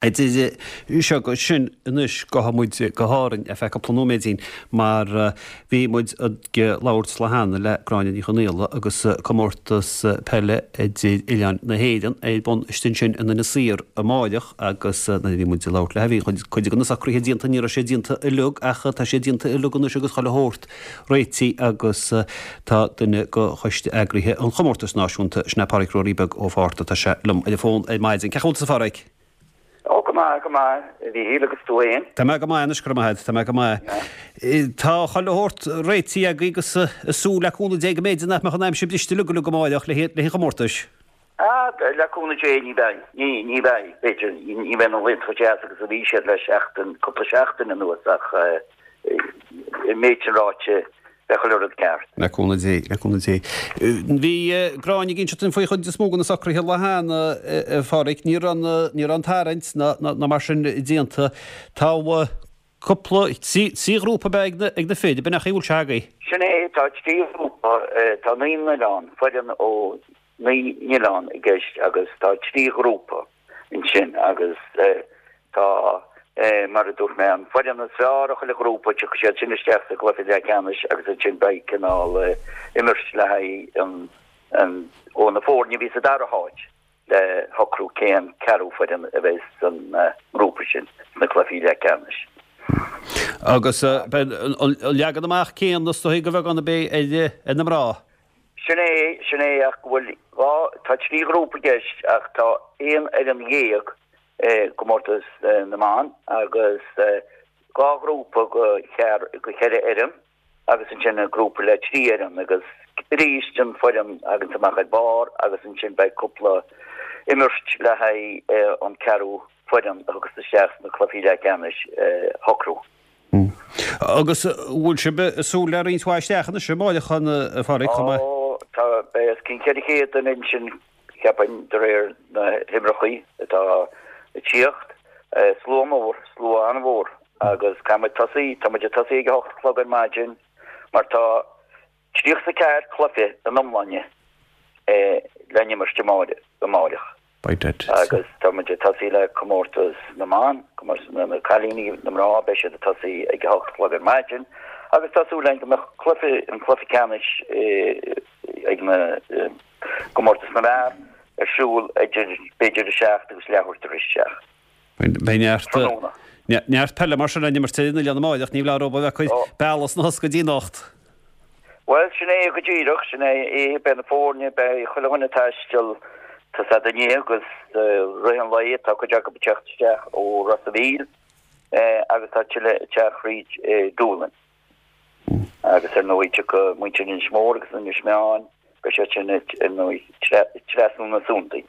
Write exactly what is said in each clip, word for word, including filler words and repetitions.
Idir seo agus sin anois gabhfaidh muid go hÁrainn ar feadh cúpla nóiméidín mar bhí muid ag labhairt lá cheana le Gráinne Ní Chonghaile agus comórtas peile idir oileáin na hÉireann ar bun istigh ansin in Inis Oírr amáireach agus nuair a bhí muid ag labhairt léi bhí cuid de na socruithe déanta, ní raibh sé déanta uilig ach tá sé déanta uilig anois agus chuile shórt réitithe agus tá duine de choiste eagraithe an chomórtais náisiúnta, sin é Páraic Ruairí Beag Ó Fátharta, tá sé liom ar an bhfón ar maidin. Cén chaoi a bhfuil tusa a Pháraic? Ó, go maith, go maith, a Mhíchíl, agus tú fhéin? Tá mé go maith anois, go raibh maith agat, tá mé go maith. Tá chuile shórt réitithe agaibh agus súil le cúnamh Dé go mb'fhéidir nach mbeadh an aimsir briste uilig uilig amáireach le haghaidh an chomórtais. Ah, le cúnamh Dé ní bheidh, ní, ní bheidh, b'fhéidir, ní bheidh na laethanta chomh deas agus a bhí siad le seachtain, cúpla seachtain anuas ach an méid sin ráite, Beidh chuile rud ceart. Le cúnamh Dé, le cúnamh Dé. Bhí Gráinne ag inseacht dúinn faoi chuid is mó de na socruithe lá cheana, a Pháraic. Ní raibh an, ní raibh an tarraingt ná, ná mar sin déanta. Tá cúpla, trí, trí ghrúpa ab ea ag na, ag na fir, ab in é an chaoi a bhfuil sé agaibh? Sin é, tá trí ghrúpa, tá naoi n-oileán, foireann ó naoi n-oileán i gceist agus tá trí ghrúpa ansin agus tá, mar a dúirt mé, an foireann is fearr ó chuile ghrúpa, tiocfaidh siad sin isteach sa gcluiche leathcheannais agus ansin beidh cineál imirt le haghaidh an, an, ó na foirne a bhí sa dara háit le shocrú cén ceathrú foireann a bheidh san ngrúpa sin sna cluichí leathcheannais. Agus beidh an leagan amach céanna is dóigh de bheagán a bheidh ar na mná. Sin é, sin é ach go bhfuil dhá, tá trí ghrúpa i gceist ach tá aon fhoireann dhéag i gcomórtas na mban agus dhá ghrúpa go go cheithre fhoireann agus ansin grúpa le trí fhoireann agus arís an foireann a thaganns amach ar barr agus ansin beidh cúpla imirt le haghaidh an ceathrú foireann a thiocfas isteach sna cluichí leathcheannais a shocrú. Agus bhfuil sibh ag súil le roinnt mhaith isteach anois amáireach a Pháraic chomh maith? Ó, tá, beidh os cionn ceithre chéad duine ansin, cheapfainn, de réir na huimhreachaí atá ag tíocht. Slua mór, slua an-mhór agus caithfidh muid tosaí, tá muid ag tosaí ag a hocht a chlog ar maidin mar tá tríocha is a ceathair cluiche in iomláine le n-imirt amáireach. Agus tá muid ag tosaí le comórtas na mban, comórtas na cailíní, na mná, beidh siad ag tosaí ag a hocht a chlog ar maidin agus tá súil againn go mbeadh cluiche, an cluiche ceannais ag na gcomórtas na bhfear ar siúl idir b'fhéidir a seacht agus leathuair tar éis a seacht. Beidh neart, neart peile mar sin le n-imirt ar an oileán amáireach, ní foláir dóibh a bheith ag cur bealach sna thosca go dtí anocht. Bhuel, sin é go díreach, sin é é, beidh na foirne, beidh chuile dhuine ag taisteal, tá a fhios a'd inné agus i rith an lae, tá cuid acu ag teacht isteach ó Ros a' Mhíl agus tá tuilleadh ag teacht thríd Dúlainn. Agus ar ndóigh tiocfaidh muintir Inis Mór agus Inis Meáin, beidh siad sin ar ndóigh trasna na Suantraí.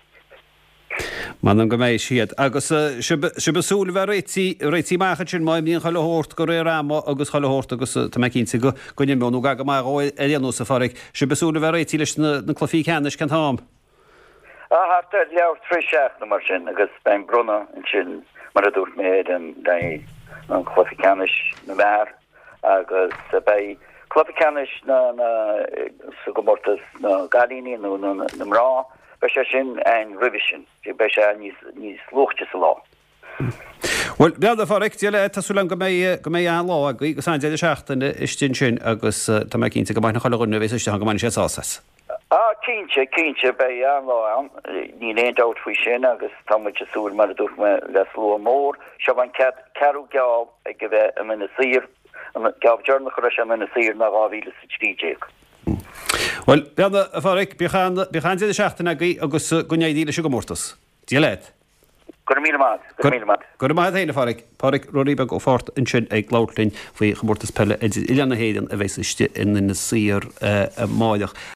M'anam go mbeidh siad. Agus sibh ag súil a bheith réitithe, réitithe amach ansin má imríonn chuile shórt de réir ama agus chuile shórt agus tá mé cinnte go go n-imreoidh nó go maith dhó ar aon nós, a Pháraic. Sibh ag súil a bheith réitithe leis na cluichí ceannais cén t-am? Ah, thart ar leathuair tar éis a seacht nó mar sin agus beidh an bronnadh ansin mar a dúirt mé ar an an cluiche ceannais na bhfear agus beidh cluiche ceannais na na sa gcomórtas na gcailíní nó na na mná beidh sé sin ann roimhe sin, beidh sé níos níos luaite sa lá. Bhuel, bhuel a Pháraic, Dia leat, tá súil agam go mbeidh go mbeidh an-lá agaibh agus an-deireadh seachtaine istigh ansin agus tá mé cinnte go mbainfidh chuile dhuine a bheas istigh ann go mbainfidh siad sásamh as. Ah, cinnte, cinnte, beidh an-lá ann, níl aon dabht faoi sin agus tá muid ag súil, mar a dúirt mé, le slua mór. Seo an cead, ceathrú geábh ag a bheith in Inis Oírr, an geábh deireanach a raibh sé in Inis Oírr ná dhá mhíle is a trí déag. Bhuel, bhuel, a Pháraic, bíodh an, bíodh an-deireadh seachtaine agaibh agus go n-éirí leis an gcomórtas. Dia leat. Go raibh míle maith agat, go raibh míle maith agat. Go raibh maith agat féin, a Pháraic. Páraic Ruairí Beag Ó Fátharta ansin ag labhairt linn faoi chomórtas peile idir oileáin na hÉireann a bheas istigh in Inis Oírr amáireach.